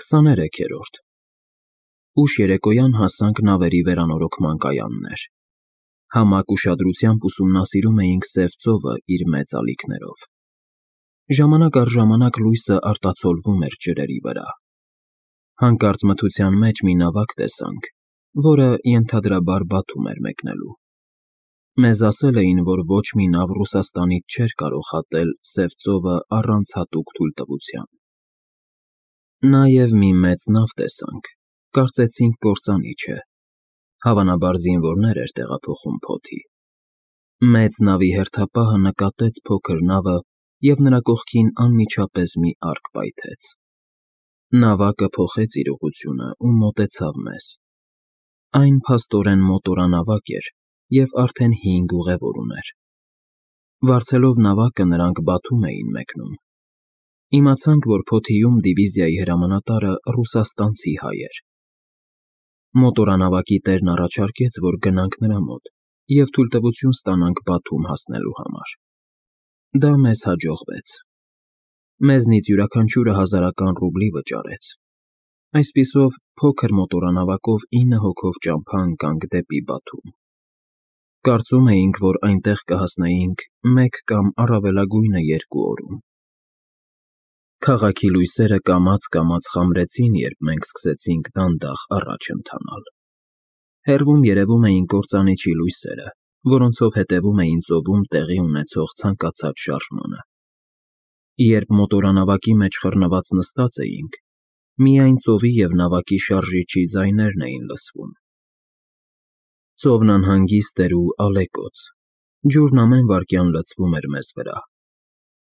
23-րդ Ուշ երեկոյան հասանք նավերի վերանորոգման կայաններ։ Համակ ուշադրությամբ ուսումնասիրում էինք սև ծովը իր մեծ ալիքներով։ Ժամանակ առ ժամանակ լույսը արտացոլվում էր ջրերի վրա։ Հանկարծ մթության մեջ մի նավակ տեսանք, որը ենթադրաբար Բաթում էր մեկնելու։ Մեզ ասել էին, որ ոչ մի նավ Ռուսաստանից չէր կարող հատել Սև ծովը առանց հատուկ թույլտվության։ Նաև մի մեծ նավ տեսանք, կարծեցինք կործանիչ է, հավանաբար զինվորներ էր տեղափոխում փոթի։ Մեծ նավի հերթապահը նկատեց փոքր նավը և նրա կողքին անմիջապես մի արկ պայթեց։ Նավակը փոխեց իր ուղղությունը ու մոտեցավ մեզ։ Այն փաստորեն մոտորանավակ էր և արդեն 5 ուղևոր ուներ։ Վարձելով նավակը նրանք Բաթում էին մեկնում։ Իմացանք, որ փոթիում դիվիզիայի հրամանատարը ռուսաստանցի հայ էր։ Մոտորանավակի տերն առաջարկեց, որ գնանք նրա մոտ և թույլտվություն ստանանք Բաթում հասնելու համար։ Դա մեզ հաջողվեց։ Մեզնից յուրաքանչյուրը 1000 ռուբլի վճարեց։ Այսպիսով, փոքր մոտորանավակով 9 հոգով ճամփա ընկանք դեպի Բաթում։ Կարծում էինք, որ այնտեղ կհասնեինք 1 կամ առավելագույնը 2 օրում։ Քաղաքի լույսերը կամաց խամրեցին, երբ մենք սկսեցինք դանդաղ առաջ ընթանալ։ Հեռվում երևում էին կործանիչի լույսերը, որոնցով հետևում էին ծովում տեղի ունեցող ցանկացած շարժմանը։ Երբ մոտորանավակի մեջ խռնված նստած էինք, միայն ծովի և նավակի շարժիչի ձայներն էին լսվում։ Ծովն անհանգիստ էր ու ալեկոծ, ջուրն ամեն վայրկյան լցվում էր մեզ վրա։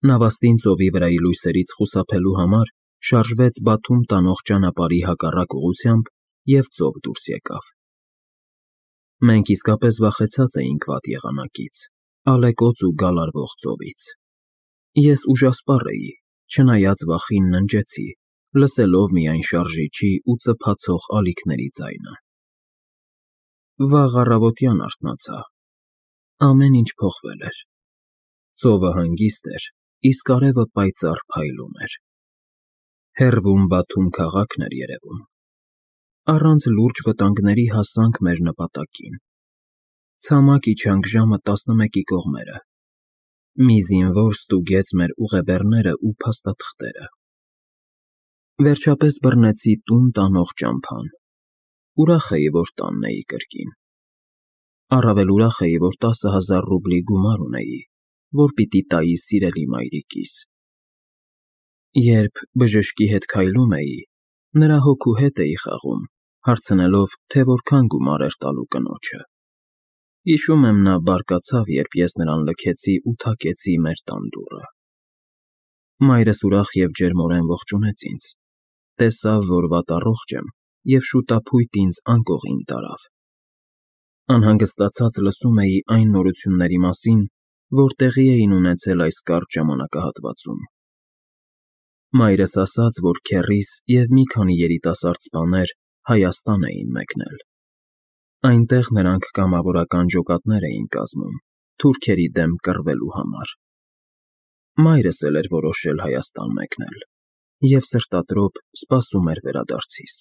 Նավաստին ծովի վրայի լույսերից խուսափելու համար շարժվեց Բաթում տանող ճանապարհի հակառակ ուղղությամբ և ծով դուրս եկավ։ Մենք իսկապես վախեցած էինք վատ եղանակից, ալեկոծ ու գալարվող ծովից։ Ես ուժասպառ էի, չնայած վախին ննջեցի, լսելով միայն շարժիչի ու ծփացող ալիքների ձայնը։ Վաղ առավոտյան արթնացա։ Ամեն ինչ փոխվել էր։ Ծովը հանգիստ էր, իսկ արևը պայծառ փայլում էր։ Հեռվում Բաթում քաղաքն էր երևում։ Առանց լուրջ վտանգների հասանք մեր նպատակին։ Ցամաք իջանք ժամը 11-ի կողմերը։ Մի զինվոր ստուգեց մեր ուղեբեռները ու փաստաթղթերը։ Վերջապես բռնեցի տուն տանող ճամփան։ Ուրախ էի, որ տանն էի կրկին։ Առավել ուրախ էի, որ 10,000 ռուբլի գումար ունեի, որ պիտի տայի սիրելի մայրիկիս։ Երբ բժշկի հետ քայլում էի, նրա հոգու հետ էի խաղում, հարցնելով, թե որքան գումար էր տալու կնոջը։ Հիշում եմ, նա բարկացավ, երբ ես նրան լքեցի ու թակեցի մեր տան դուռը։ Մայրս ուրախ և ջերմորեն ողջունեց ինձ, տեսավ, որ վատառողջ եմ և շուտափույտ ինձ անկողին տարավ։ Անհանգստացած լսում էի այն նորությունների մասին, որ տեղի էին ունեցել այս կարճ ժամանակահատվածում։ Մայրս ասաց, որ քեռիս և մի քանի երիտասարդ սպաներ Հայաստան էին մեկնել։ Այնտեղ նրանք կամավորական ջոկատներ էին կազմում թուրքերի դեմ կռվելու համար։ Մայրս էլ էր որոշել Հայաստան մեկնել և սրտադրոտ սպասում էր վերադարձիս։